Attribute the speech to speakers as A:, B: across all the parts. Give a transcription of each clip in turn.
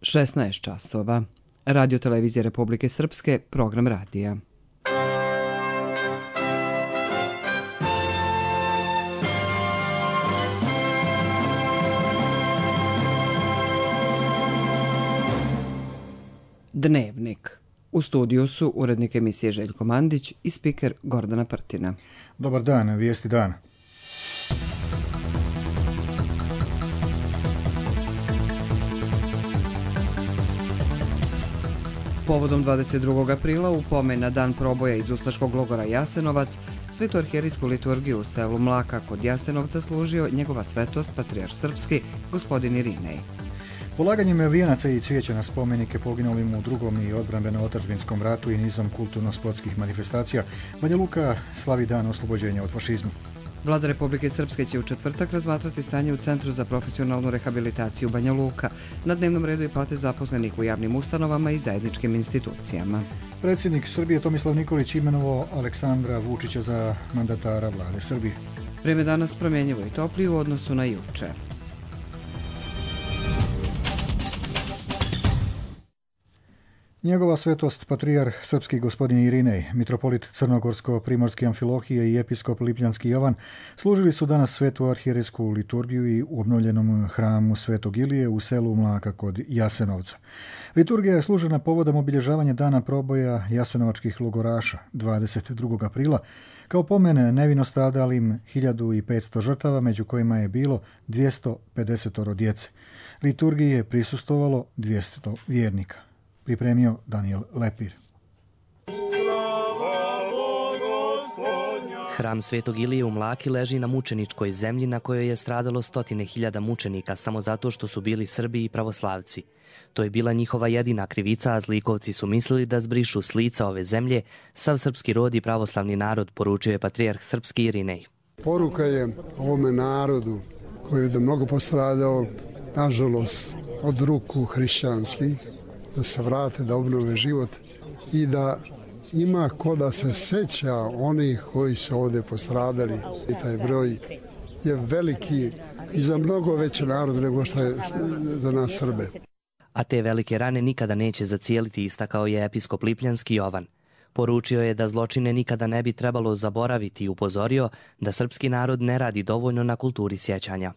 A: 16 časova. Radio televizije Republike Srpske, program radija. Dnevnik. U studiju su urednik emisije Željko Mandić i spiker Gordana Prtina.
B: Dobar dan, vijesti dana.
A: Povodom 22. aprila u pomen na dan proboja iz ustaškog logora Jasenovac, svetu arhijerijsku liturgiju u selu Mlaka kod Jasenovca služio njegova svetost patrijarh srpski gospodin Irinej.
B: Polaganjem vijenaca i cvijeća na spomenike poginulim u drugom i odbrambeno-otadžbinskom ratu i nizom kulturno-sportskih manifestacija, Banja Luka slavi dan oslobođenja od fašizma.
A: Vlada Republike Srpske će u četvrtak razmatrati stanje u Centru za profesionalnu rehabilitaciju Banja Luka. Na dnevnom redu je plate zaposlenih u javnim ustanovama i zajedničkim institucijama.
B: Predsjednik Srbije Tomislav Nikolić imenovao Aleksandra Vučića za mandatara vlade Srbije.
A: Vrijeme danas promjenjivo i toplije u odnosu na juče.
B: Njegova svetost patrijarh srpski gospodin Irinej, mitropolit Crnogorsko-primorske Amfilohije i episkop Lipljanski Jovan služili su danas svetu arhijerijsku liturgiju i u obnovljenom hramu Svetog Ilije u selu Mlaka kod Jasenovca. Liturgija je služena povodom obilježavanja dana proboja jasenovačkih logoraša 22. aprila, kao pomen nevino stradalim 1500 žrtava, među kojima je bilo 250 djece. Liturgiji je prisustvovalo 200 vjernika. Pripremio Daniel Lepir.
C: Hram Svetog Ilije u Mlaki leži na mučeničkoj zemlji na kojoj je stradalo 100.000 mučenika samo zato što su bili Srbi i pravoslavci. To je bila njihova jedina krivica, a zlikovci su mislili da zbrišu s lica ove zemlje sav srpski rod i pravoslavni narod, poručio je patrijarh srpski Irinej.
D: Poruka je ovome narodu koji je mnogo postradao, nažalost, od ruku hrišćanskih, da se vrate, da obnove život i da ima ko da se seća onih koji su ovdje postradali. I taj broj je veliki i za mnogo veći narod nego što je za nas Srbe.
C: A te velike rane nikada neće zacijeliti, istakao je episkop Lipljanski Jovan. Poručio je da zločine nikada ne bi trebalo zaboraviti i upozorio da srpski narod ne radi dovoljno na kulturi sjećanja.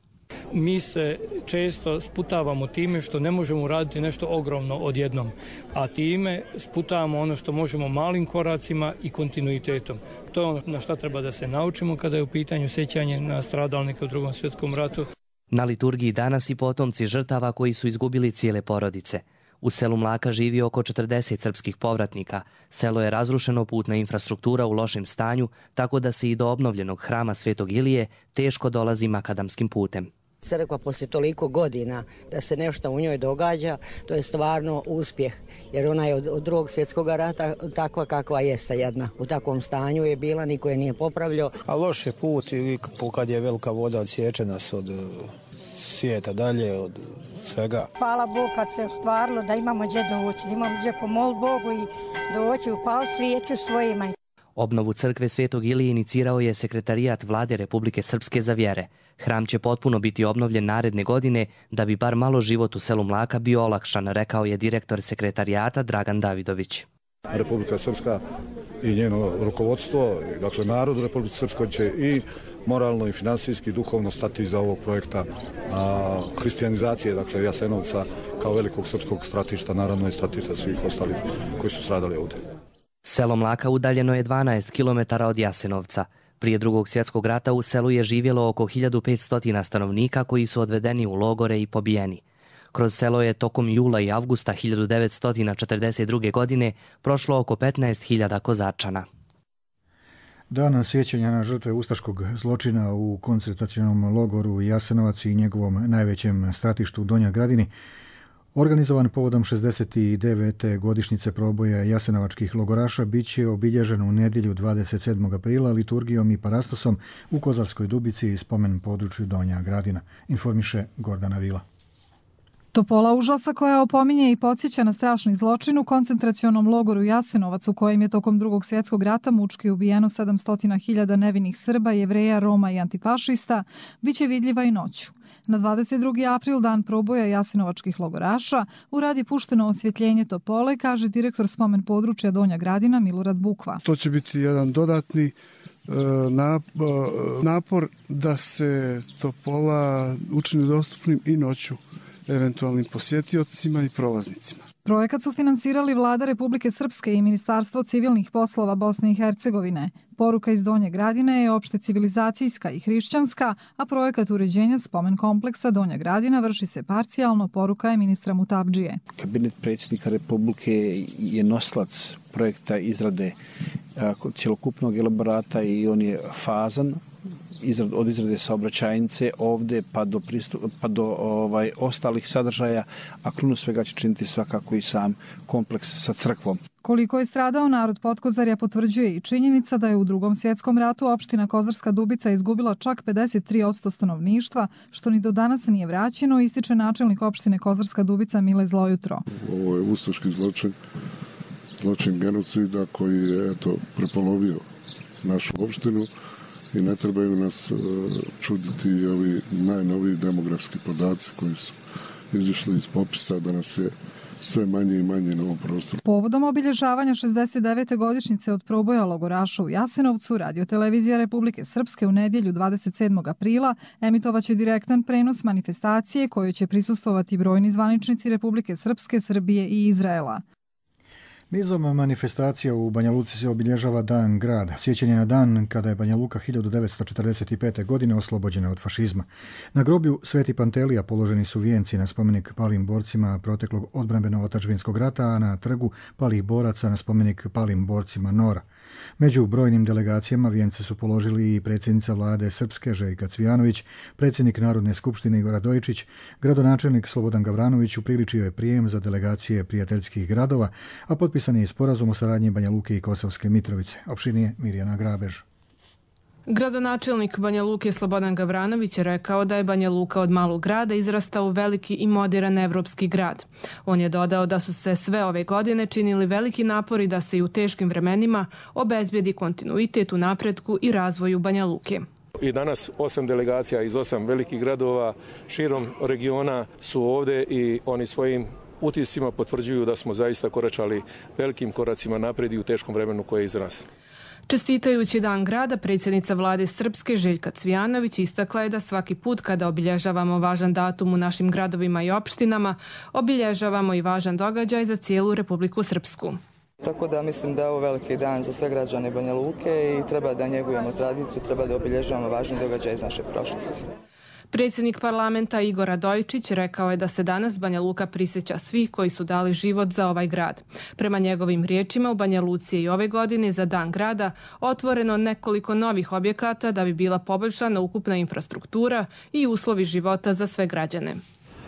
E: Mi se često sputavamo time što ne možemo uraditi nešto ogromno odjednom, a time sputavamo ono što možemo malim koracima i kontinuitetom. To je ono na šta treba da se naučimo kada je u pitanju sjećanje na stradalnike u Drugom svjetskom ratu.
C: Na liturgiji danas i potomci žrtava koji su izgubili cijele porodice. U selu Mlaka živi oko 40 srpskih povratnika. Selo je razrušeno, putna infrastruktura u lošem stanju, tako da se i do obnovljenog hrama Svetog Ilije teško dolazi makadamskim putem.
F: Crkva poslije toliko godina da se nešto u njoj događa, to je stvarno uspjeh, jer ona je od Drugog svjetskog rata takva kakva jeste jedna. U takvom stanju je bila, niko je nije popravljao.
G: A loš je put i kad je velika voda odsječe nas od svijeta dalje, od svega.
H: Hvala Bogu kad se ostvarilo da imamo gdje doći, da imamo gdje pomoći Bogu i doći upali svijeću svojima.
C: Obnovu crkve Svetog Ilije inicirao je sekretarijat Vlade Republike Srpske za vjere. Hram će potpuno biti obnovljen naredne godine da bi bar malo život u selu Mlaka bio olakšan, rekao je direktor sekretarijata Dragan Davidović.
I: Republika Srpska i njeno rukovodstvo, dakle narod Republike Srpske će i moralno i finansijski i duhovno stati iza ovog projekta hrišćanizacije, dakle Jasenovca kao velikog srpskog stratišta, naravno i stratišta svih ostalih koji su stradali ovdje.
C: Selo Mlaka udaljeno je 12 km od Jasenovca. Prije Drugog svjetskog rata u selu je živjelo oko 1500 stanovnika koji su odvedeni u logore i pobijeni. Kroz selo je tokom jula i avgusta 1942. godine prošlo oko 15.000 kozačana.
B: Dan sjećanja na žrtve ustaškog zločina u koncentracionom logoru Jasenovac i njegovom najvećem stratištu u Donjoj Gradini organizovan povodom 69. godišnjice proboja jasenovačkih logoraša bit će obilježen u nedjelju 27. aprila liturgijom i parastosom u Kozarskoj Dubici i spomen području Donja Gradina, informiše Gordana Vila.
J: Topola užasa koja opominje i podsjeća na strašni zločin u koncentracionom logoru Jasenovac u kojem je tokom Drugog svjetskog rata mučki ubijeno 700.000 nevinih Srba, Jevreja, Roma i antifašista, bit će vidljiva i noću. Na 22. april, dan proboja jasenovačkih logoraša, u rad je pušteno osvjetljenje Topole, kaže direktor spomen područja Donja Gradina Milorad Bukva.
K: To će biti jedan dodatni napor da se Topola učini dostupnim i noću eventualnim posjetiocima i prolaznicima.
J: Projekat su finansirali Vlada Republike Srpske i Ministarstvo civilnih poslova Bosne i Hercegovine. Poruka iz Donje Gradine je opšte civilizacijska i hrišćanska, a projekat uređenja spomen kompleksa Donja Gradina vrši se parcijalno, poruka je ministra Mutabdžije.
L: Kabinet predsjednika Republike je noslac projekta izrade cjelokupnog elaborata i on je fazan od izrade saobraćajnice ovdje pa do ostalih sadržaja, a krunu svega će činiti svakako i sam kompleks sa crkvom.
J: Koliko je stradao narod Potkozarja potvrđuje i činjenica da je u Drugom svjetskom ratu opština Kozarska Dubica izgubila čak 53% stanovništva, što ni do danas nije vraćeno, ističe načelnik opštine Kozarska Dubica Mile Zlojutro.
M: Ovo je ustaški zločin genocida koji je prepolovio našu opštinu i ne trebaju nas čuditi ovi najnoviji demografski podaci koji su izišli iz popisa da nas je sve manje i manje na ovom prostoru.
J: Povodom obilježavanja 69. godišnjice od proboja logoraša u Jasenovcu, Radio-televizija Republike Srpske u nedjelju 27. aprila emitovaće direktan prenos manifestacije kojoj će prisustvovati brojni zvaničnici Republike Srpske, Srbije i Izraela.
B: Nizom manifestacija u Banja Luci se obilježava Dan grad, sjećanje na dan kada je Banja Luka 1945. godine oslobođena od fašizma. Na groblju Sveti Pantelija položeni su vijenci na spomenik palim borcima proteklog odbrambeno-otadžbinskog rata, a na trgu palih boraca na spomenik palim borcima Nora. Među brojnim delegacijama vijence su položili i predsjednica vlade Srpske Željka Cvijanović, predsjednik Narodne skupštine Igor Radojičić, gradonačelnik Slobodan Gavranović upriličio je prijem za delegacije prijateljskih gradova, a potpisan je sporazum o saradnji Banja Luke i Kosovske Mitrovice. Opširnije Mirjana Grabež.
N: Gradonačelnik Banja Luke Slobodan Gavranović je rekao da je Banja Luka od malog grada izrastao u veliki i moderan evropski grad. On je dodao da su se sve ove godine činili veliki napori da se i u teškim vremenima obezbijedi kontinuitet u napretku i razvoju Banja Luke.
O: I danas 8 delegacija iz 8 velikih gradova širom regiona su ovdje i oni svojim utiscima potvrđuju da smo zaista koračali velikim koracima naprijed i u teškom vremenu koje je iza nas.
N: Čestitajući Dan grada, predsjednica vlade Srpske Željka Cvijanović istakla je da svaki put kada obilježavamo važan datum u našim gradovima i opštinama, obilježavamo i važan događaj za cijelu Republiku Srpsku.
P: Tako da mislim da je ovo veliki dan za sve građane Banja Luke i treba da njegujemo tradiciju, treba da obilježavamo važni događaj iz naše prošlosti.
N: Predsjednik parlamenta Igor Radojičić rekao je da se danas Banja Luka prisjeća svih koji su dali život za ovaj grad. Prema njegovim riječima, u Banja Luci je i ove godine za Dan grada otvoreno nekoliko novih objekata da bi bila poboljšana ukupna infrastruktura i uslovi života za sve građane.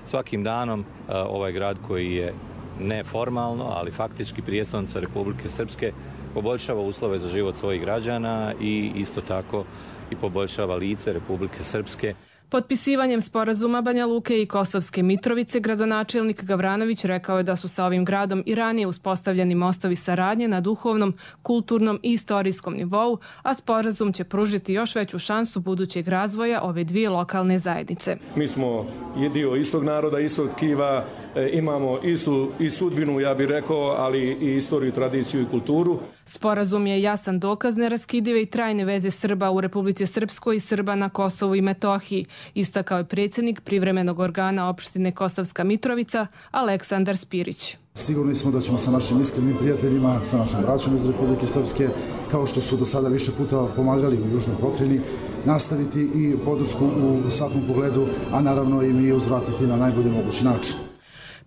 Q: Svakim danom ovaj grad koji je neformalno, ali faktički prijestolnica Republike Srpske poboljšava uslove za život svojih građana i isto tako i poboljšava lice Republike Srpske.
N: Potpisivanjem sporazuma Banja Luke i Kosovske Mitrovice, gradonačelnik Gavranović rekao je da su sa ovim gradom i ranije uspostavljeni mostovi saradnje na duhovnom, kulturnom i istorijskom nivou, a sporazum će pružiti još veću šansu budućeg razvoja ove dvije lokalne zajednice.
O: Mi smo dio istog naroda, istog tkiva, imamo istu i sudbinu, ja bih rekao, ali i istoriju, tradiciju i kulturu.
N: Sporazum je jasan dokaz neraskidive i trajne veze Srba u Republici Srpskoj i Srba na Kosovu i Metohiji, istakao je predsjednik privremenog organa opštine Kosovska Mitrovica Aleksandar Spirić.
R: Sigurni smo da ćemo sa našim iskrenim prijateljima, sa našom braćom iz Republike Srpske, kao što su do sada više puta pomagali u Južnoj pokrajini, nastaviti i podršku u svakom pogledu, a naravno i mi uzvratiti na najbolji mogući način.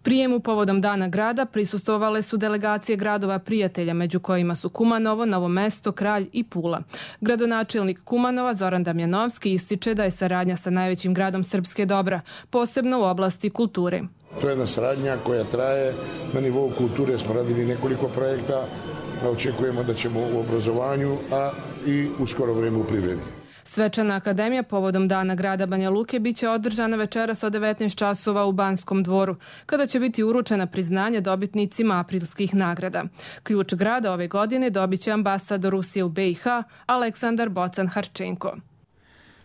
N: Prijemu povodom Dana grada prisustvovale su delegacije gradova prijatelja, među kojima su Kumanovo, Novo Mesto, Kralj i Pula. Gradonačelnik Kumanova Zoran Damjanovski ističe da je saradnja sa najvećim gradom Srpske dobra, posebno u oblasti kulture.
S: To je jedna saradnja koja traje. Na nivou kulture smo radili nekoliko projekta, očekujemo da ćemo u obrazovanju, a i u skoro vrijeme u privredi.
N: Svečana akademija povodom Dana grada Banja Luke biće održana večeras od 19 časova u Banskom dvoru, kada će biti uručena priznanje dobitnicima aprilskih nagrada. Ključ grada ove godine dobit će ambasador Rusije u BiH Aleksandar Bocan-Harčenko.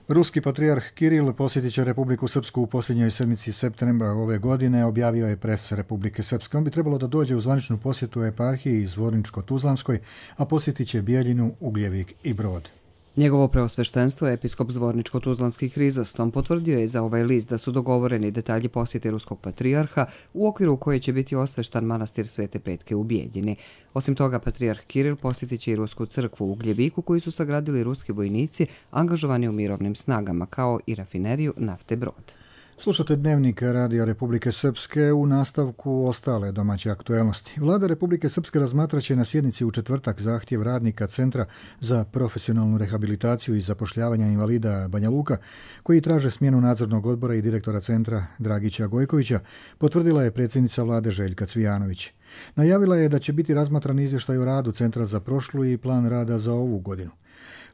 B: Ruski patrijarh Kiril posjetit će Republiku Srpsku u posljednjoj sedmici septembra ove godine, objavio je pres Republike Srpske. On bi trebalo da dođe u zvaničnu posjetu eparhiji Zvorničko-Tuzlanskoj, a posjetit će Bijeljinu, Ugljevik i Brod.
A: Njegovo preosveštenstvo, episkop Zvorničko-Tuzlanski Hrizostom, potvrdio je za ovaj list da su dogovoreni detalji posjete ruskog patrijarha u okviru koje će biti osveštan manastir Svete Petke u Bijeljini. Osim toga, patrijarh Kiril posjetit će i rusku crkvu u Ugljeviku koju su sagradili ruski vojnici angažovani u mirovnim snagama, kao i rafineriju nafte Brod.
B: Slušate Dnevnik Radija Republike Srpske, u nastavku ostale domaće aktuelnosti. Vlada Republike Srpske razmatraće na sjednici u četvrtak zahtjev radnika Centra za profesionalnu rehabilitaciju i zapošljavanja invalida Banja Luka, koji traže smjenu nadzornog odbora i direktora centra Dragića Gojkovića, potvrdila je predsjednica vlade Željka Cvijanović. Najavila je da će biti razmatran izvještaj o radu centra za prošlu i plan rada za ovu godinu.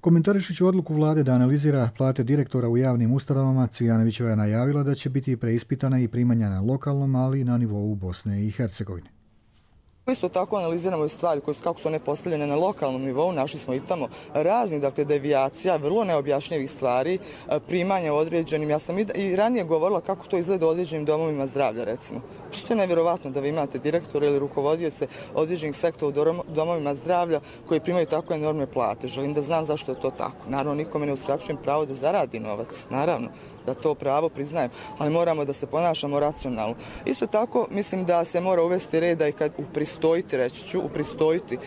B: Komentarišući odluku vlade da analizira plate direktora u javnim ustanovama, Cvijanovićeva je najavila da će biti preispitana i primanja na lokalnom, ali i na nivou Bosne i Hercegovine.
P: Isto tako analiziramo i stvari kako su one postavljene na lokalnom nivou, našli smo i tamo raznih, devijacija, vrlo neobjašnjivih stvari, primanja u određenim. Ja sam i ranije govorila kako to izgleda u određenim domovima zdravlja, recimo. Što je nevjerovatno da vi imate direktora ili rukovodioce određenih sektora u domovima zdravlja koji primaju tako enormne plate. Želim da znam zašto je to tako. Naravno, nikome ne uskraćujem pravo da zaradi novac. Naravno, da to pravo priznajem, ali moramo da se ponašamo racionalno. Isto tako, mislim da se mora uvesti reda i kad upristojiti, reći ću, upristojiti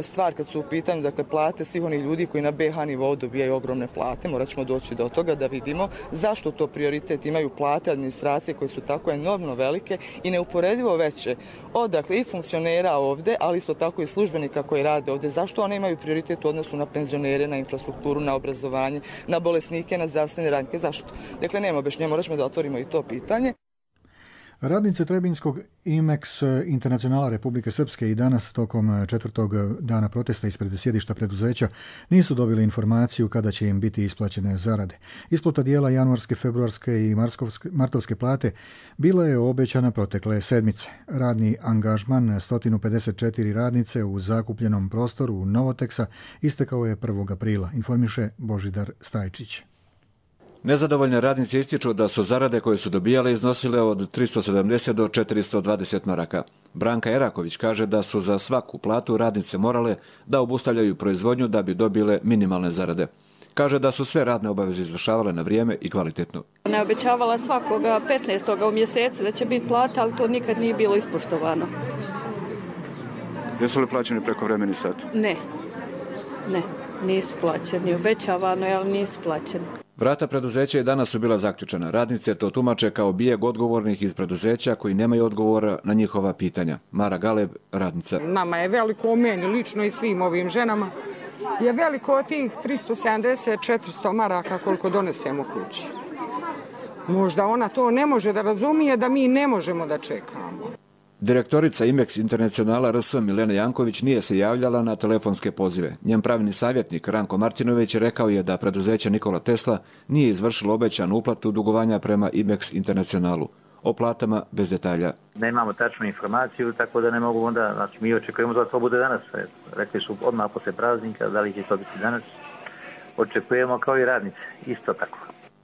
P: stvar kad su u pitanju, plate svih onih ljudi koji na BH nivou dobijaju ogromne plate. Morat ćemo doći do toga da vidimo zašto to prioritet imaju plate administracije koje su tako enormno velike i neuporedivo veće od i funkcionera ovde, ali isto tako i službenika koji rade ovde. Zašto one imaju prioritet u odnosu na penzionere, na infrastrukturu, na obrazovanje, na bolesnike, na zdravstvene radnike? Zašto? Dakle, nema objašnjenja, morat ćemo da otvorimo i to pitanje.
B: Radnice Trebinjskog IMEX Internacionala Republike Srpske i danas tokom četvrtog dana protesta ispred sjedišta preduzeća nisu dobili informaciju kada će im biti isplaćene zarade. Isplata dijela januarske, februarske i martovske plate bila je obećana protekle sedmice. Radni angažman 154 radnice u zakupljenom prostoru Novoteksa istekao je 1. aprila, informiše Božidar Stajčić.
T: Nezadovoljne radnice ističu da su zarade koje su dobijale iznosile od 370 do 420 maraka. Branka Eraković kaže da su za svaku platu radnice morale da obustavljaju proizvodnju da bi dobile minimalne zarade. Kaže da su sve radne obaveze izvršavale na vrijeme i kvalitetno.
U: Ne obećavala svakoga 15. u mjesecu da će biti plata, ali to nikad nije bilo ispoštovano.
T: Jesu li plaćeni prekovremeni sat?
U: Ne, nisu plaćeni. Obećavano je, ali nisu plaćeni.
T: Vrata preduzeća i danas su bila zaključena. Radnice to tumače kao bijeg odgovornih iz preduzeća koji nemaju odgovora na njihova pitanja. Mara Galeb, radnica.
V: Nama je veliko, meni lično i svim ovim ženama, je veliko od tih 370-400 maraka koliko donesemo kući. Možda ona to ne može da razumije da mi ne možemo da čekamo.
T: Direktorica IMEX Internacionala RS Milena Janković nije se javljala na telefonske pozive. Njen pravni savjetnik Ranko Martinović rekao je da preduzeće Nikola Tesla nije izvršilo obećanu uplatu dugovanja prema IMEX Internacionalu. O platama bez detalja.
W: Nemamo tačnu informaciju, tako da ne mogu onda, znači mi očekujemo da to bude danas. Rekli su odmah posle praznika, da li će to biti danas. Očekujemo kao i radnice, isto tako.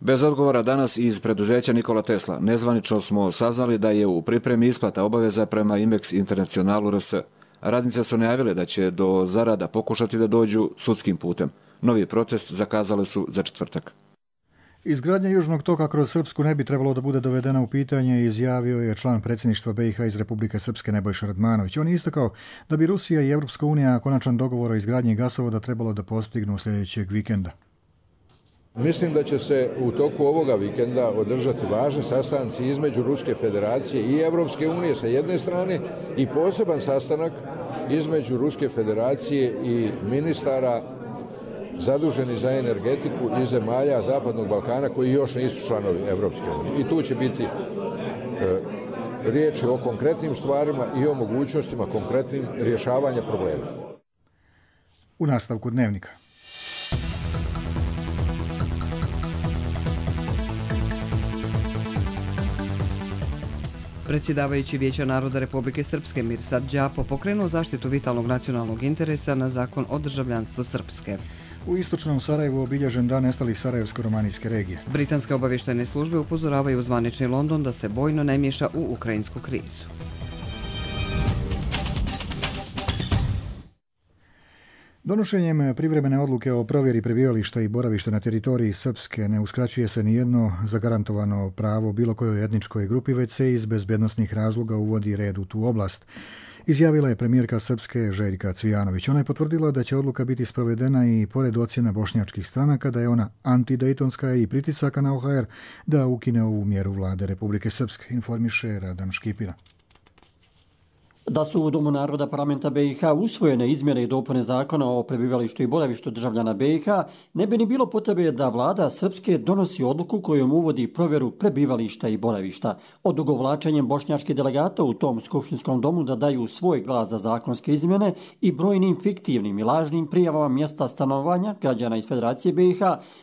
T: Bez odgovora danas iz preduzeća Nikola Tesla nezvanično smo saznali da je u pripremi isplata obaveza prema IMEX Internacionalu RS. Radnice su najavile da će do zarada pokušati da dođu sudskim putem. Novi protest zakazale su za četvrtak.
B: Izgradnja Južnog toka kroz Srpsku ne bi trebalo da bude dovedena u pitanje, izjavio je član predsjedništva BiH iz Republike Srpske Nebojša Radmanović. On je istakao da bi Rusija i Evropska unija konačan dogovor o izgradnji gasovoda trebalo da postignu sljedećeg vikenda.
X: Mislim da će se u toku ovoga vikenda održati važni sastanci između Ruske federacije i Evropske unije sa jedne strane i poseban sastanak između Ruske federacije i ministara zaduženi za energetiku iz zemalja Zapadnog Balkana koji još nisu članovi Evropske unije. I tu će biti riječi o konkretnim stvarima i o mogućnostima konkretnim rješavanja problema.
B: U nastavku Dnevnika.
A: Predsjedavajući Vijeća naroda Republike Srpske Mirsad Đapo pokrenuo zaštitu vitalnog nacionalnog interesa na zakon o državljanstvu Srpske.
B: U istočnom Sarajevu obilježen dan nestalih Sarajevsko-romanijske regije.
A: Britanske obavještajne službe upozoravaju zvanični London da se bojno ne miješa u ukrajinsku krizu.
B: Donošenjem privremene odluke o provjeri prebivališta i boravišta na teritoriji Srpske ne uskraćuje se nijedno zagarantovano pravo bilo kojoj etničkoj grupi, već se iz bezbjednosnih razloga uvodi red u tu oblast. Izjavila je premijerka Srpske Željka Cvijanović. Ona je potvrdila da će odluka biti sprovedena i pored ocjena bošnjačkih stranaka da je ona antidejtonska i pritisaka na OHR da ukine ovu mjeru vlade Republike Srpske, informiše Radan Škipina.
D: Da su u Domu naroda parlamenta BiH usvojene izmjene i dopune zakona o prebivalištu i boravištu državljana BiH, ne bi ni bilo potrebe da vlada Srpske donosi odluku kojom uvodi provjeru prebivališta i boravišta. Odugovlačenjem bošnjačkih delegata u tom skupštinskom domu da daju svoj glas za zakonske izmjene i brojnim fiktivnim i lažnim prijavama mjesta stanovanja građana iz Federacije BiH,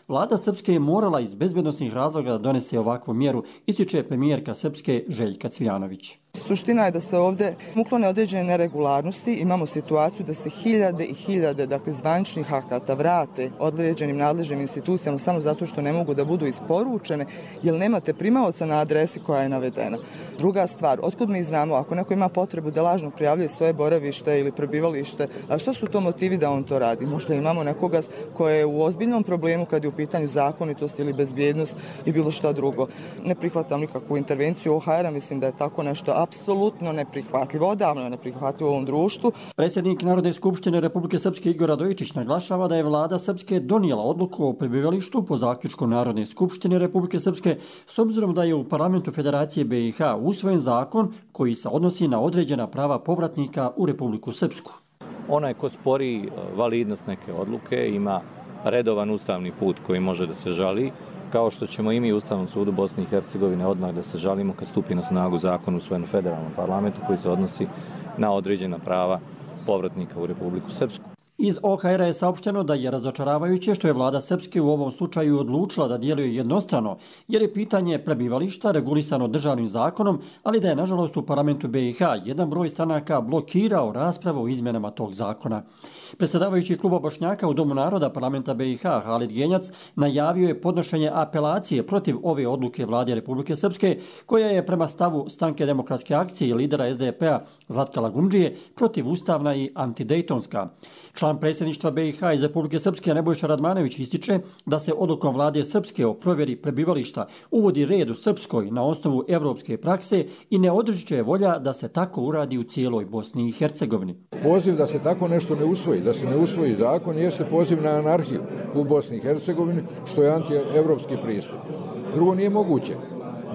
D: vlada Srpske je morala iz bezbjednosnih razloga da donese ovakvu mjeru, ističe premijerka Srpske Željka Cvijanović.
P: Suština je da se ovdje uklone određene neregularnosti. Imamo situaciju da se hiljade i hiljade zvaničnih akata vrate određenim nadležnim institucijama samo zato što ne mogu da budu isporučene jer nemate primaoca na adresi koja je navedena. Druga stvar, otkud mi znamo ako neko ima potrebu da lažno prijavljuje svoje boravište ili prebivalište, a što su to motivi da on to radi? Možda imamo nekoga ko je u ozbiljnom problemu kad je u pitanju zakonitost ili bezbjednost i bilo šta drugo. Ne prihvatam nikakvu intervenciju OHR-a, mislim da je tako nešto apsolutno neprihvatljivo, odavno je neprihvatljivo u ovom društvu.
D: Predsjednik Narodne skupštine Republike Srpske Igor Radojičić naglašava da je vlada Srpske donijela odluku o prebivalištu po zaključku Narodne skupštine Republike Srpske s obzirom da je u parlamentu Federacije BiH usvojen zakon koji se odnosi na određena prava povratnika u Republiku Srpsku.
Q: Onaj ko spori validnost neke odluke ima redovan ustavni put koji može da se žali, kao što ćemo i mi u Ustavnom sudu Bosne i Hercegovine odmah da se žalimo kad stupi na snagu zakon usvojen u federalnom parlamentu koji se odnosi na određena prava povratnika u Republiku Srpsku.
D: Iz OHR-a je saopšteno da je razočaravajuće što je vlada Srpske u ovom slučaju odlučila da djeluje jednostrano, jer je pitanje prebivališta regulisano državnim zakonom, ali da je nažalost u parlamentu BiH jedan broj stranaka blokirao raspravu o izmjenama tog zakona. Predsjedavajući kluba Bošnjaka u Domu naroda parlamenta BiH Halid Genjac najavio je podnošenje apelacije protiv ove odluke vlade Republike Srpske, koja je prema stavu Stranke demokratske akcije i lidera SDP-a Zlatka Lagundžije protivustavna i antidejtonska. Član predsjedništva BiH iz Republike Srpske Nebojša Radmanović ističe da se odlukom vlade Srpske o provjeri prebivališta uvodi red u Srpskoj na osnovu evropske prakse i ne odriče volja da se tako uradi u cijeloj Bosni i Hercegovini.
X: Poziv da se tako nešto ne usvoji, da se ne usvoji zakon, jeste poziv na anarhiju u Bosni i Hercegovini, što je antievropski pristup. Drugo, nije moguće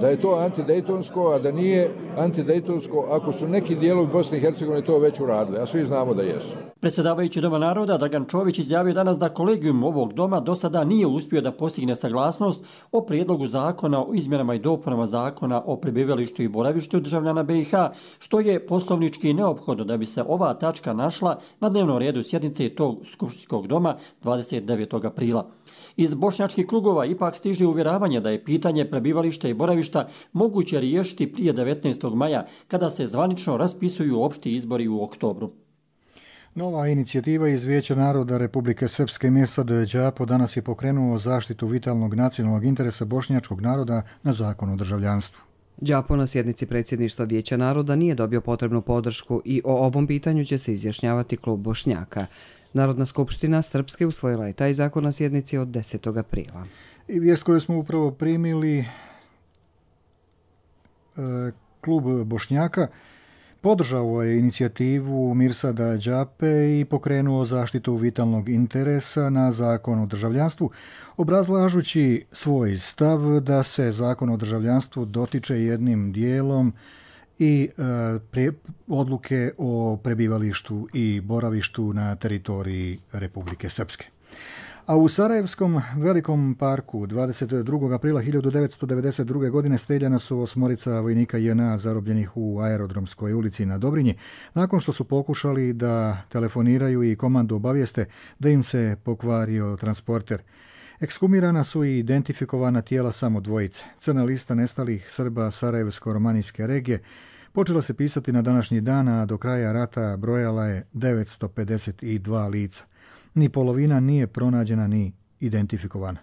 X: da je to antidejtonsko, a da nije antidejtonsko ako su neki dijelovi Bosne i Hercegovine to već uradili, a svi znamo da jesu.
D: Predsjedavajući Doma naroda Dragan Čović izjavio danas da kolegijum ovog doma do sada nije uspio da postigne saglasnost o prijedlogu zakona o izmjenama i dopunama zakona o prebivalištu i boravištu državljana BiH, što je poslovnički neophodno da bi se ova tačka našla na dnevnom redu sjednice tog skupštinskog doma 29. aprila. Iz bošnjačkih krugova ipak stiže uvjeravanje da je pitanje prebivališta i boravišta moguće riješiti prije 19. maja, kada se zvanično raspisuju opšti izbori u oktobru.
B: Nova inicijativa iz Vijeća naroda Republike Srpske Mirsad Đapo danas je pokrenuo zaštitu vitalnog nacionalnog interesa bošnjačkog naroda na zakon o državljanstvu.
A: Đapo na sjednici predsjedništva Vijeća naroda nije dobio potrebnu podršku i o ovom pitanju će se izjašnjavati klub Bošnjaka. Narodna skupština Srpske usvojila je taj zakon na sjednici od 10. aprila.
B: I vijest koju smo upravo primili, klub Bošnjaka podržao je inicijativu Mirsada Đape i pokrenuo zaštitu vitalnog interesa na zakon o državljanstvu, obrazlažući svoj stav da se zakon o državljanstvu dotiče jednim dijelom i odluke o prebivalištu i boravištu na teritoriji Republike Srpske. A u Sarajevskom velikom parku 22. aprila 1992. godine streljana su 8 vojnika JNA zarobljenih u Aerodromskoj ulici na Dobrinji, nakon što su pokušali da telefoniraju i komandu obavijeste da im se pokvario transporter. Ekshumirana su i identifikovana tijela samo dvojice. Crna lista nestalih Srba Sarajevsko-romanijske regije počela se pisati na današnji dan, a do kraja rata brojala je 952 lica. Ni polovina nije pronađena ni identifikovana.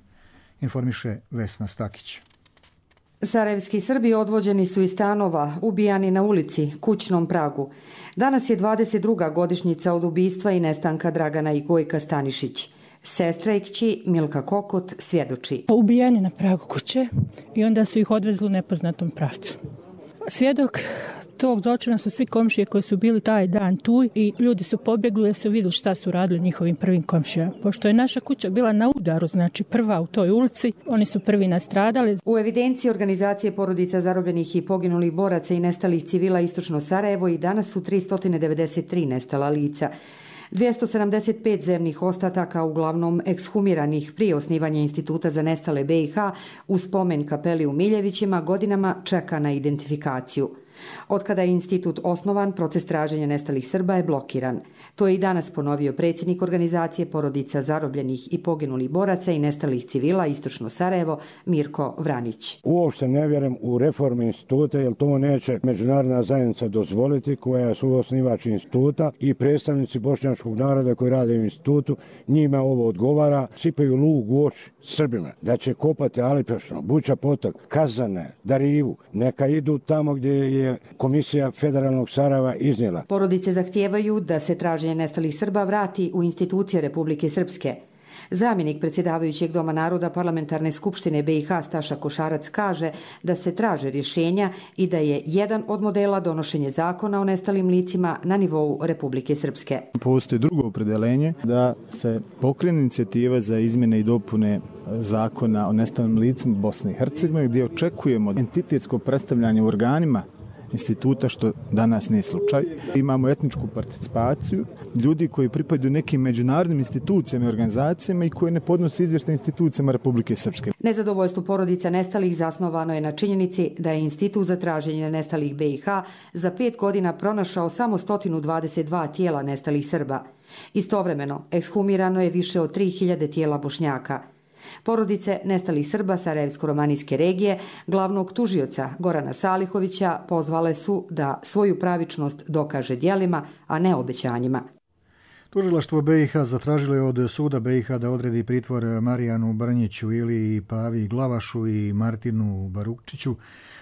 B: Informiše Vesna Stakić.
E: Sarajevski Srbi odvođeni su iz stanova, ubijani na ulici, kućnom pragu. Danas je 22. godišnjica od ubistva i nestanka Dragana i Gojka Stanišić. Sestra i kći Milka Kokot svjedoči.
F: Ubijeni na pragu kuće i onda su ih odvezli u nepoznatom pravcu. Svjedok tog zločina su svi komšije koji su bili taj dan tu i ljudi su pobjegli jer su vidjeli šta su radili njihovim prvim komšijama. Pošto je naša kuća bila na udaru, znači prva u toj ulici, oni su prvi nastradali.
E: U evidenciji organizacije porodica zarobljenih i poginulih boraca i nestalih civila Istočno Sarajevo i danas su 393 nestala lica. 275 zemnih ostataka, uglavnom ekshumiranih prije osnivanja Instituta za nestale BiH u spomen kapeli u Miljevićima, godinama čeka na identifikaciju. Otkada je institut osnovan, proces traženja nestalih Srba je blokiran. To je i danas ponovio predsjednik organizacije porodica zarobljenih i poginulih boraca i nestalih civila Istočno Sarajevo, Mirko Vranić.
G: Uopšte ne vjerujem u reformu instituta, jer to neće međunarodna zajednica dozvoliti, koja su osnivač instituta i predstavnici bošnjačkog naroda koji rade u institutu. Njima ovo odgovara, sipaju lug u oči Srbima, da će kopati Alipešno, Buća potok, Kazane, Darivu, neka idu tamo gdje je Komisija Federalnog Sarajeva iznijela.
E: Porodice zahtijevaju da se traženje nestalih Srba vrati u institucije Republike Srpske. Zamjenik predsjedavajućeg Doma naroda Parlamentarne skupštine BiH Staša Košarac kaže da se traže rješenja i da je jedan od modela donošenje zakona o nestalim licima na nivou Republike Srpske.
H: Postoji drugo opredeljenje da se pokrene inicijativa za izmjene i dopune zakona o nestalim licima Bosne i Hercegovine, gdje očekujemo entitetsko predstavljanje u organima instituta, što danas nije slučaj. Imamo etničku participaciju ljudi koji pripadaju nekim međunarodnim institucijama i organizacijama i koji ne podnose izvještaj institucijama Republike Srpske.
E: Nezadovoljstvo porodica nestalih zasnovano je na činjenici da je Institut za traženje nestalih BiH za 5 godina pronašao samo 122 tijela nestalih Srba. Istovremeno, ekshumirano je više od 3000 tijela Bošnjaka. Porodice nestalih Srba Sarajevsko-romanijske regije, glavnog tužioca Gorana Salihovića, pozvale su da svoju pravičnost dokaže djelima, a ne obećanjima.
B: Tužilaštvo BiH zatražilo je od suda BiH da odredi pritvor Marijanu Brnjiću, Iliji Pavi Glavašu i Martinu Barukčiću,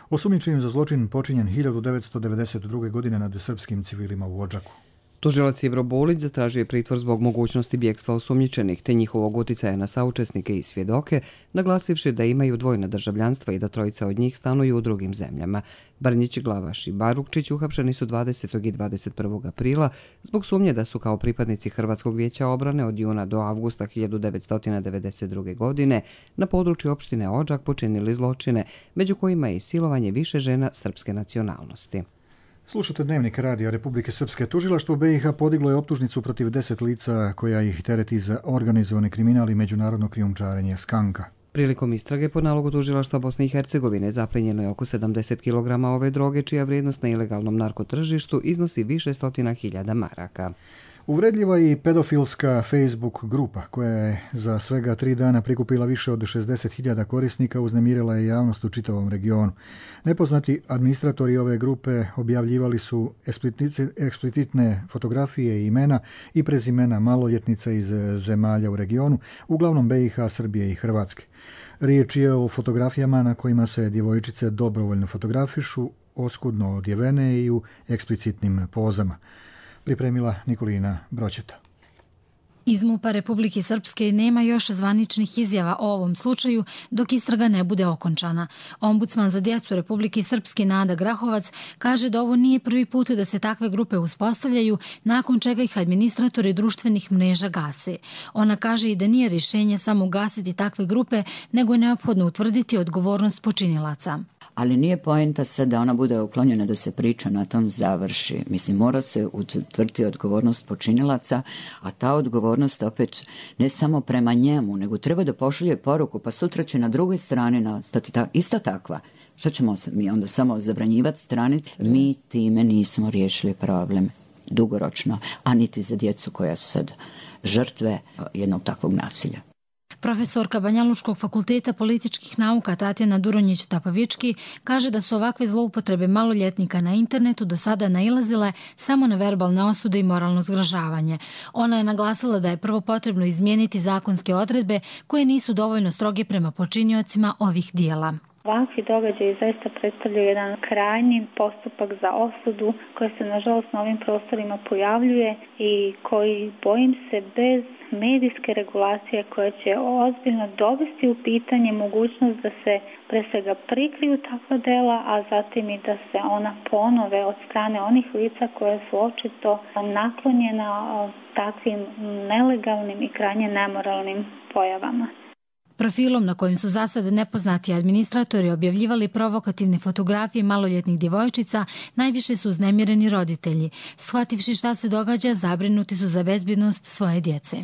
B: osumnjičenim za zločin počinjen 1992. godine nad srpskim civilima u Odžaku.
A: Tužilac Ivro Bulić zatražio je pritvor zbog mogućnosti bjegstva osumnjičenih te njihovog utjecaja na saučesnike i svjedoke, naglasivši da imaju dvojna državljanstva i da trojica od njih stanuju u drugim zemljama. Brnjić, Glavaš i Barukčić uhapšeni su 20. i 21. aprila zbog sumnje da su kao pripadnici Hrvatskog vijeća obrane od juna do avgusta 1992. godine na području opštine Odžak počinili zločine, među kojima je i silovanje više žena srpske nacionalnosti.
B: Slušate Dnevnik radija Republike Srpske. Tužilaštvo BiH podiglo je optužnicu protiv 10 lica koja ih tereti za organizovani kriminal i međunarodno krijumčarenje skanka.
A: Prilikom istrage po nalogu tužilaštva Bosne i Hercegovine zaplenjeno je oko 70 kg ove droge, čija vrijednost na ilegalnom narkotržištu iznosi više stotina hiljada maraka.
B: Uvredljiva i pedofilska Facebook grupa koja je za svega 3 dana prikupila više od 60.000 korisnika uznemirila je javnost u čitavom regionu. Nepoznati administratori ove grupe objavljivali su eksplicitne fotografije i imena i prezimena maloljetnica iz zemalja u regionu, uglavnom BiH, Srbije i Hrvatske. Riječ je o fotografijama na kojima se djevojčice dobrovoljno fotografišu, oskudno odjevene i u eksplicitnim pozama. Pripremila Nikolina Broćeta.
Y: Iz MUP-a Republike Srpske nema još zvaničnih izjava o ovom slučaju dok istraga ne bude okončana. Ombudsman za djecu Republike Srpske Nada Grahovac kaže da ovo nije prvi put da se takve grupe uspostavljaju, nakon čega ih administratori društvenih mreža gase. Ona kaže i da nije rješenje samo ugasiti takve grupe, nego je neophodno utvrditi odgovornost počinilaca.
Z: Ali nije poenta sad da ona bude uklonjena, da se priča na tom završi. Mislim, mora se utvrditi odgovornost počinilaca, a ta odgovornost opet ne samo prema njemu, nego treba da pošalje poruku, pa sutra će na drugoj strani nastati ista takva. Što ćemo mi onda samo zabranjivati stranice? Mi time nismo riješili problem dugoročno, a niti za djecu koja su sad žrtve jednog takvog nasilja.
Y: Profesorka Banjalučkog fakulteta političkih nauka Tatjana Duronjić-Tapavički kaže da su ovakve zloupotrebe maloljetnika na internetu do sada nailazile samo na verbalne osude i moralno zgražavanje. Ona je naglasila da je prvo potrebno izmijeniti zakonske odredbe koje nisu dovoljno stroge prema počiniocima ovih dijela.
C: Ovakvi događaji zaista predstavljaju jedan krajnji postupak za osudu koji se nažalost na ovim prostorima pojavljuje i koji, bojim se, bez medijske regulacije koja će ozbiljno dovesti u pitanje mogućnost da se pre svega prikriju takva dela, a zatim i da se ona ponove od strane onih lica koja su očito naklonjena takvim nelegalnim i krajnje nemoralnim pojavama.
Y: Profilom na kojim su zasad nepoznati administratori objavljivali provokativne fotografije maloljetnih djevojčica, najviše su uznemireni roditelji. Shvativši šta se događa, zabrinuti su za bezbjednost svoje djece.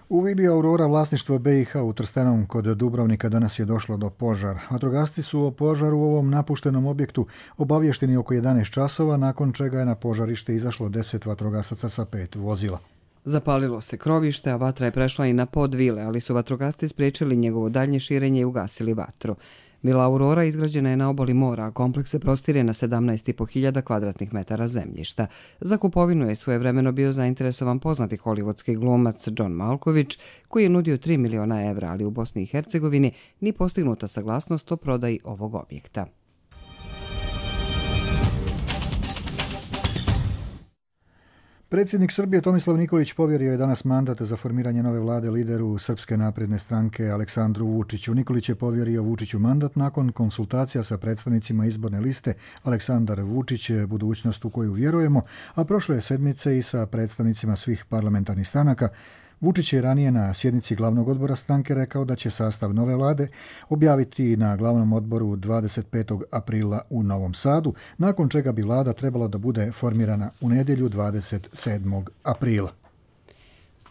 B: U vili Aurora vlasništvo BiH u Trstenom kod Dubrovnika danas je došlo do požara. Vatrogasci su o požaru u ovom napuštenom objektu obavješteni oko 11 časova, nakon čega je na požarište izašlo 10 vatrogasaca sa 5 vozila.
A: Zapalilo se krovište, a vatra je prešla i na pod vile, ali su vatrogasci spriječili njegovo daljnje širenje i ugasili vatru. Vila Aurora izgrađena je na obali mora, a kompleks se prostire na 17.500 kvadratnih metara zemljišta. Za kupovinu je svojevremeno bio zainteresovan poznati hollywoodski glumac John Malkovich, koji je nudio 3 miliona evra, ali u Bosni i Hercegovini ni postignuta saglasnost o prodaji ovog objekta.
B: Predsjednik Srbije Tomislav Nikolić povjerio je danas mandat za formiranje nove vlade lideru Srpske napredne stranke Aleksandru Vučiću. Nikolić je povjerio Vučiću mandat nakon konsultacija sa predstavnicima izborne liste Aleksandar Vučić, budućnost u koju vjerujemo, a prošle sedmice i sa predstavnicima svih parlamentarnih stranaka. Vučić je ranije na sjednici glavnog odbora stranke rekao da će sastav nove vlade objaviti na glavnom odboru 25. aprila u Novom Sadu, nakon čega bi vlada trebala da bude formirana u nedjelju 27. aprila.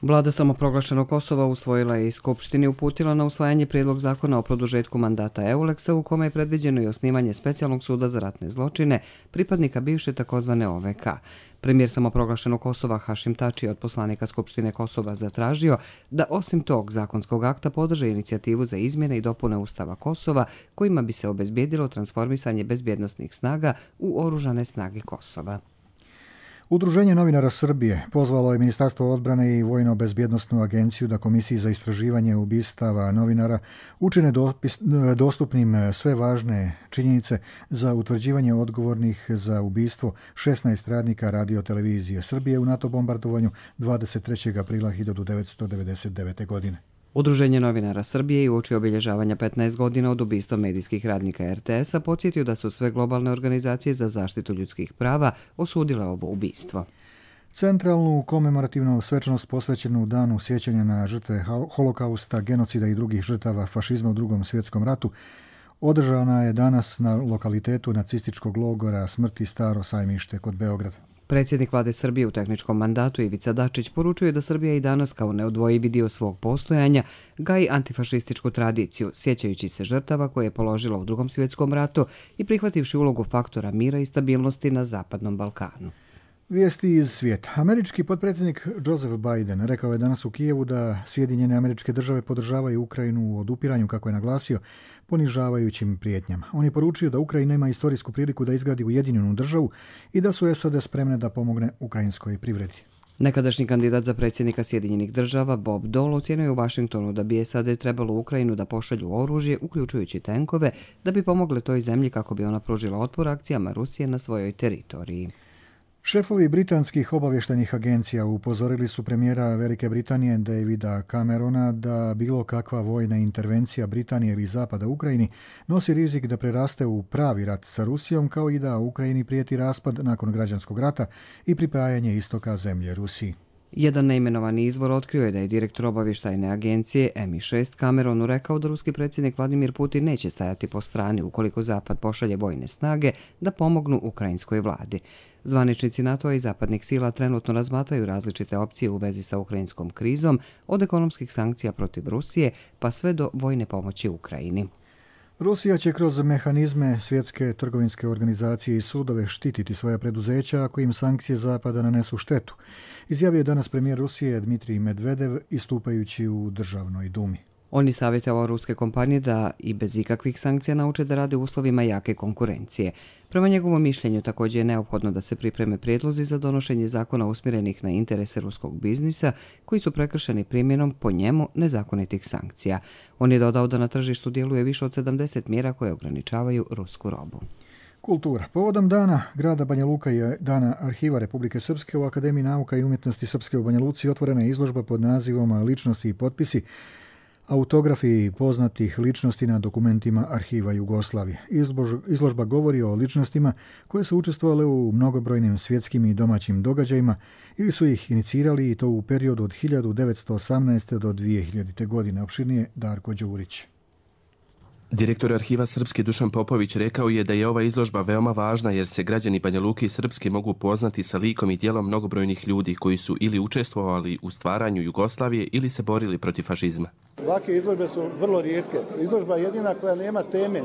A: Vlada samoproglašenog Kosova usvojila je i Skupštini uputila na usvajanje prijedlog zakona o produžetku mandata EULEX-a u kome je predviđeno i osnivanje specijalnog suda za ratne zločine pripadnika bivše takozvane OVK. Premijer samoproglašenog Kosova Hašim Tači od poslanika Skupštine Kosova zatražio da osim tog zakonskog akta podrže inicijativu za izmjene i dopune Ustava Kosova kojima bi se obezbijedilo transformisanje bezbjednosnih snaga u oružane snage Kosova.
B: Udruženje novinara Srbije pozvalo je Ministarstvo odbrane i Vojno-bezbjednosnu agenciju da Komisiji za istraživanje ubistava novinara učine dostupnim sve važne činjenice za utvrđivanje odgovornih za ubistvo 16 radnika Radio-televizije Srbije u NATO bombardovanju 23. aprila 1999. godine.
A: Udruženje novinara Srbije i uoči obilježavanja 15 godina od ubistva medijskih radnika RTS-a podsjetio da su sve globalne organizacije za zaštitu ljudskih prava osudile ovo ubistvo.
B: Centralnu komemorativnu svečanost posvećenu danu sjećanja na žrtve holokausta, genocida i drugih žrtava fašizma u Drugom svjetskom ratu održana je danas na lokalitetu nacističkog logora smrti Staro Sajmište kod Beograda.
A: Predsjednik vlade Srbije u tehničkom mandatu Ivica Dačić poručuje da Srbija i danas kao neodvojivi dio svog postojanja gaji antifašističku tradiciju, sjećajući se žrtava koje je položila u Drugom svjetskom ratu i prihvativši ulogu faktora mira i stabilnosti na Zapadnom Balkanu.
B: Vijesti iz svijeta. Američki potpredsjednik Joseph Biden rekao je danas u Kijevu da Sjedinjene Američke Države podržavaju Ukrajinu u odupiranju, kako je naglasio, ponižavajućim prijetnjama. On je poručio da Ukrajina ima istorijsku priliku da izgradi ujedinjenu državu i da su SAD spremne da pomogne ukrajinskoj privredi.
A: Nekadašnji kandidat za predsjednika Sjedinjenih Država Bob Dole ocijenio je u Vašingtonu da bi SAD trebalo u Ukrajinu da pošalju oružje, uključujući tenkove, da bi pomogle toj zemlji kako bi ona pružila otpor akcijama Rusije na svojoj teritoriji.
B: Šefovi britanskih obavještajnih agencija upozorili su premijera Velike Britanije Davida Camerona da bilo kakva vojna intervencija Britanije ili Zapada u Ukrajini nosi rizik da preraste u pravi rat sa Rusijom, kao i da Ukrajini prijeti raspad nakon građanskog rata i pripajanje istoka zemlje Rusiji.
A: Jedan neimenovani izvor otkrio je da je direktor obavještajne agencije MI6 Cameronu rekao da ruski predsjednik Vladimir Putin neće stajati po strani ukoliko Zapad pošalje vojne snage da pomognu ukrajinskoj vladi. Zvaničnici NATO-a i zapadnih sila trenutno razmatraju različite opcije u vezi sa ukrajinskom krizom, od ekonomskih sankcija protiv Rusije pa sve do vojne pomoći Ukrajini.
B: Rusija će kroz mehanizme Svjetske trgovinske organizacije i sudove štititi svoja preduzeća ako im sankcije Zapada nanesu štetu, izjavio je danas premijer Rusije Dmitrij Medvedev istupajući u Državnoj dumi.
A: On je savjetovao ruske kompanije da i bez ikakvih sankcija nauče da rade u uslovima jake konkurencije. Prema njegovom mišljenju također je neophodno da se pripreme prijedlozi za donošenje zakona usmjerenih na interese ruskog biznisa koji su prekršeni primjenom po njemu nezakonitih sankcija. On je dodao da na tržištu djeluje više od 70 mjera koje ograničavaju rusku robu.
B: Kultura. Povodom dana grada Banja Luka i dana arhiva Republike Srpske u Akademiji nauka i umjetnosti Srpske u Banja Luci otvorena je izložba pod nazivom Ličnosti i potpisi, autografi poznatih ličnosti na dokumentima arhiva Jugoslavije. Izložba govori o ličnostima koje su učestvovale u mnogobrojnim svjetskim i domaćim događajima ili su ih inicirali i to u periodu od 1918. do 2000. godine. Opširnije Darko Đurić.
I: Direktor arhiva Srpske Dušan Popović rekao je da je ova izložba veoma važna jer se građani Banja Luke i Srpske mogu poznati sa likom i djelom mnogobrojnih ljudi koji su ili učestvovali u stvaranju Jugoslavije ili se borili protiv fašizma.
J: Ovakve izložbe su vrlo rijetke. Izložba je jedina koja nema teme,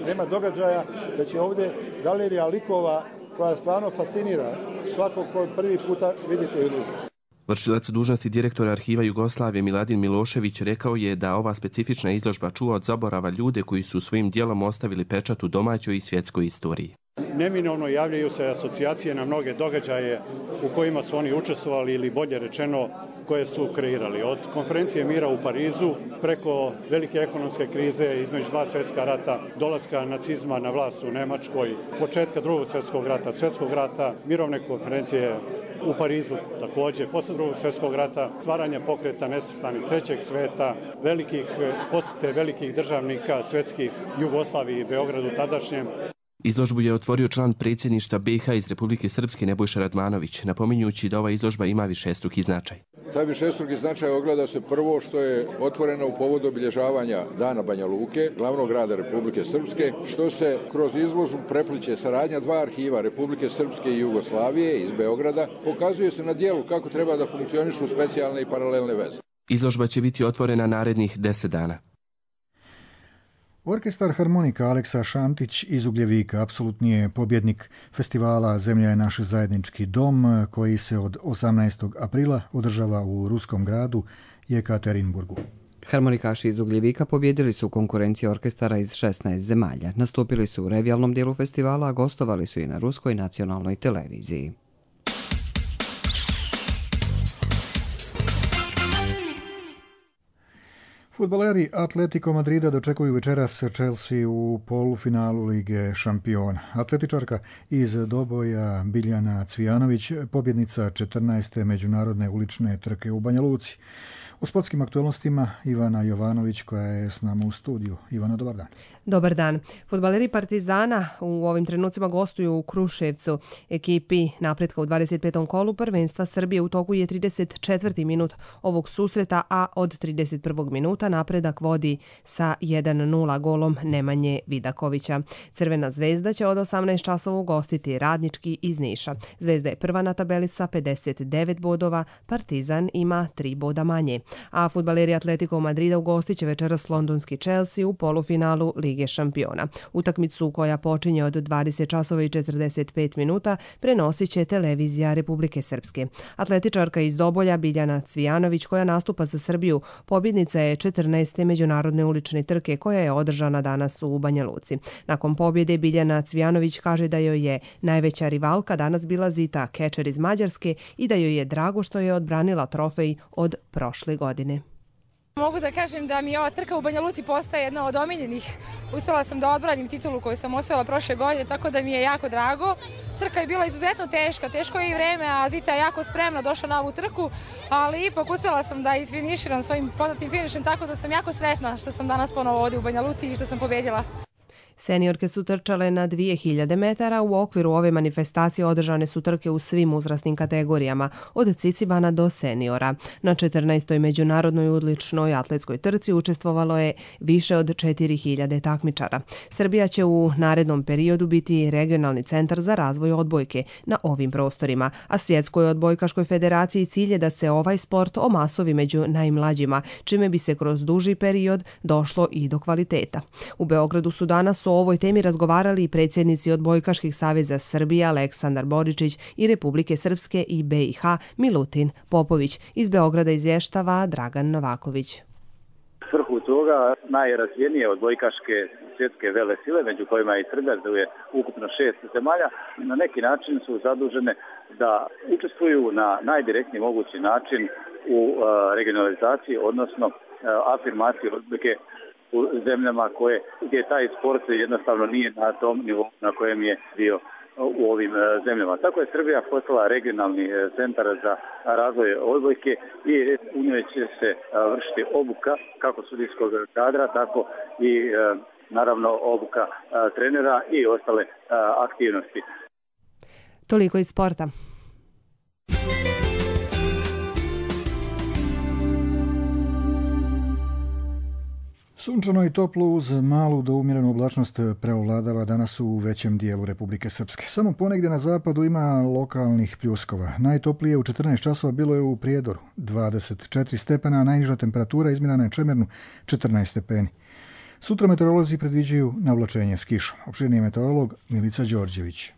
J: nema događaja, da će ovdje galerija likova koja stvarno fascinira svakog ko prvi puta vidi tu izložbu.
I: Vršilac dužnosti direktora arhiva Jugoslavije Miladin Milošević rekao je da ova specifična izložba čuva od zaborava ljude koji su svojim djelom ostavili pečat u domaćoj i svjetskoj istoriji.
K: Neminovno javljaju se asocijacije na mnoge događaje u kojima su oni učestvovali ili bolje rečeno koje su kreirali. Od konferencije mira u Parizu preko velike ekonomske krize između dva svjetska rata, dolaska nacizma na vlast u Nemačkoj, početka drugog svjetskog rata, mirovne konferencije u Parizu također, posle drugog svjetskog rata, stvaranje pokreta nesvrstanih trećeg sveta, posjete velikih državnika svjetskih Jugoslaviji i Beogradu tadašnjem.
I: Izložbu je otvorio član predsjedništva BiH iz Republike Srpske Nebojša Radmanović, napominjući da ova izložba ima višestruki značaj.
X: Taj višestruki značaj ogleda se prvo što je otvoreno u povodu obilježavanja Dana Banja Luke, glavnog grada Republike Srpske, što se kroz izložbu prepliče saradnja dva arhiva Republike Srpske i Jugoslavije iz Beograda, pokazuje se na dijelu kako treba da funkcionišu specijalne i paralelne veze.
I: Izložba će biti otvorena narednih 10 dana.
B: Orkestar harmonika Aleksa Šantić iz Ugljevika apsolutni je pobjednik festivala Zemlja je naš zajednički dom koji se od 18. aprila održava u ruskom gradu Jekaterinburgu.
A: Harmonikaši iz Ugljevika pobjedili su konkurenciju orkestara iz 16 zemalja. Nastupili su u revijalnom dijelu festivala, a gostovali su i na ruskoj nacionalnoj televiziji.
B: Fudbaleri Atletico Madrida dočekuju večeras Chelsea u polufinalu Lige šampiona. Atletičarka iz Doboja Biljana Cvijanović, pobjednica 14. međunarodne ulične trke u Banja Luci. U sportskim aktualnostima Ivana Jovanović koja je s nama u studiju. Ivana, dobar dan.
L: Dobar dan. Fudbaleri Partizana u ovim trenucima gostuju u Kruševcu. Ekipi napretka u 25. kolu prvenstva Srbije u toku je 34. minut ovog susreta, a od 31. minuta napredak vodi sa 1-0 golom Nemanje Vidakovića. Crvena zvezda će od 18 časova ugostiti Radnički iz Niša. Zvezda je prva na tabeli sa 59 bodova, Partizan ima 3 boda manje. A fudbaleri Atletico Madrida ugostit će večeras londonski Chelsea u polufinalu Lige šampiona. Utakmicu koja počinje od 20 časova i 45 minuta prenosit će televizija Republike Srpske. Atletičarka iz Dobolja Biljana Cvijanović koja nastupa za Srbiju pobjednica je 14. međunarodne ulične trke koja je održana danas u Banja Luci. Nakon pobjede Biljana Cvijanović kaže da joj je najveća rivalka danas bila Zita Kečer iz Mađarske i da joj je drago što je odbranila trofej od prošle godine.
M: Mogu da kažem da mi ova trka u Banja Luci postaje jedna od omiljenih. Uspjela sam da odbranim titulu koju sam osvojila prošle godine, tako da mi je jako drago. Trka je bila izuzetno teška, teško je i vreme, a Zita je jako spremno došla na ovu trku, ali ipak uspjela sam da isfiniširam svojim poznatim finišem, tako da sam jako sretna što sam danas ponovo ovdje u Banja Luci i što sam pobjedila.
L: Seniorke su trčale na 2000 metara. U okviru ove manifestacije održane su trke u svim uzrasnim kategorijama, od cicibana do seniora. Na 14. međunarodnoj odličnoj atletskoj trci učestvovalo je više od 4000 takmičara. Srbija će u narednom periodu biti regionalni centar za razvoj odbojke na ovim prostorima, a Svjetskoj odbojkaškoj federaciji cilj je da se ovaj sport omasovi među najmlađima, čime bi se kroz duži period došlo i do kvaliteta. U Beogradu su danas o ovoj temi razgovarali i predsjednici odbojkaških saveza Srbije Aleksandar Boričić i Republike Srpske i BiH Milutin Popović. Iz Beograda izvještava Dragan Novaković.
N: Svrhu toga najrazvijenije odbojkaške svjetske velesile, među kojima je i Srbija, je ukupno 6 zemalja, na neki način su zadužene da učestvuju na najdirektniji mogući način u regionalizaciji, odnosno afirmaciji odbojke u zemljama gdje taj sport jednostavno nije na tom nivou na kojem je bio u ovim zemljama. Tako je Srbija postala regionalni centar za razvoj odbojke i u njoj će se vršiti obuka kako sudijskog kadra, tako i naravno obuka trenera i ostale aktivnosti.
L: Toliko iz sporta.
B: Sunčano i toplo uz malu do umjerenu oblačnost preovladava danas u većem dijelu Republike Srpske. Samo ponegdje na zapadu ima lokalnih pljuskova. Najtoplije u 14 časova bilo je u Prijedoru 24 stepena, a najniža temperatura izmjerena je Čemernu 14 stepeni. Sutra meteorolozi predviđaju navlačenje s kišom. Opširniji meteorolog Milica Đorđević.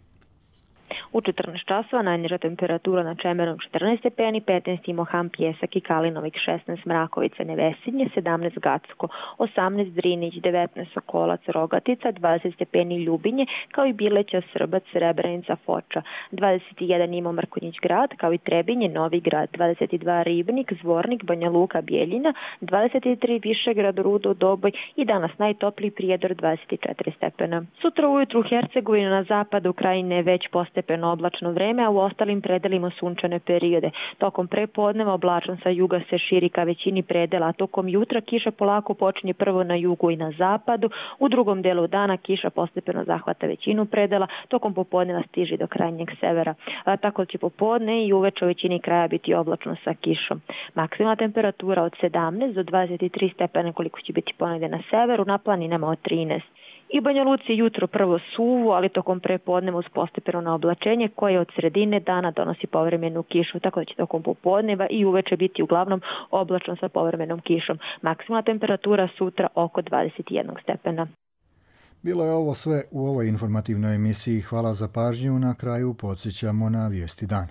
O: U 14 časova najniža temperatura na Čemerom 14 stepeni, 15 Mohan, Pjesak i Kalinovik, 16 Mrakovica, Nevesinje, 17 Gacko, 18 Drinić, 19 Sokolac, Rogatica, 20 stepeni Ljubinje, kao i Bileća, Srbac, Srebrenica, Foča, 21 Imo Mrkonjić grad, kao i Trebinje, Novi grad, 22 Ribnik, Zvornik, Banja Luka, Bijeljina, 23 Višegrad, Rudo, Doboj i danas najtopliji Prijedor 24 stepena. Sutra ujutru Hercegovina na zapadu Krajine već postepeno oblačno vreme, a u ostalim predelima sunčane periode. Tokom prepodneva oblačan sa juga se širi ka većini predela, a tokom jutra kiša polako počinje prvo na jugu i na zapadu, u drugom delu dana kiša postepeno zahvata većinu predela, tokom popodneva stiže do krajnjeg severa. Tako će popodne i uveče u većini kraja biti oblačno sa kišom. Maksimalna temperatura od 17 do 23 stepena koliko će biti ponegdje na severu, na planinama od 13. I Banja Luci jutro prvo suvo, ali tokom prepodneva uz postepeno oblačenje koje od sredine dana donosi povremenu kišu, tako da će tokom popodneva i uveče biti uglavnom oblačno sa povremenom kišom. Maksimalna temperatura sutra oko 21 stepena.
B: Bilo je ovo sve u ovoj informativnoj emisiji. Hvala za pažnju. Na kraju podsjećamo na vijesti dana.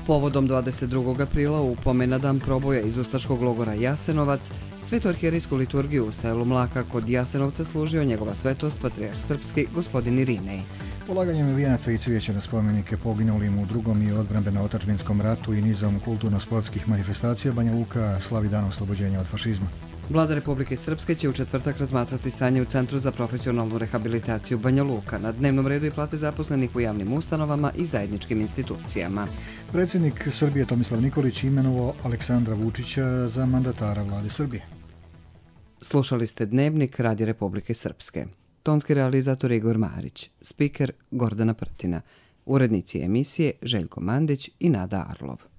A: Povodom 22. aprila u pomen na dan proboja iz ustaškog logora Jasenovac, svetoarhijerijsku liturgiju u selu Mlaka kod Jasenovca služio njegova svetost patrijarh srpski gospodin Irinej.
B: Polaganjem vijenaca i cvijeća na spomenike poginulim u drugom i odbrambeno-otadžbinskom ratu i nizom kulturno-sportskih manifestacija Banja Luka slavi dan oslobođenja od fašizma.
A: Vlada Republike Srpske će u četvrtak razmatrati stanje u Centru za profesionalnu rehabilitaciju Banja Luka. Na dnevnom redu i plate zaposlenih u javnim ustanovama i zajedničkim institucijama.
B: Predsjednik Srbije Tomislav Nikolić imenovao Aleksandra Vučića za mandatara vlade Srbije.
A: Slušali ste Dnevnik Radija Republike Srpske. Tonski realizator Igor Marić, spiker Gordana Prtina, urednici emisije Željko Mandić i Nada Arlov.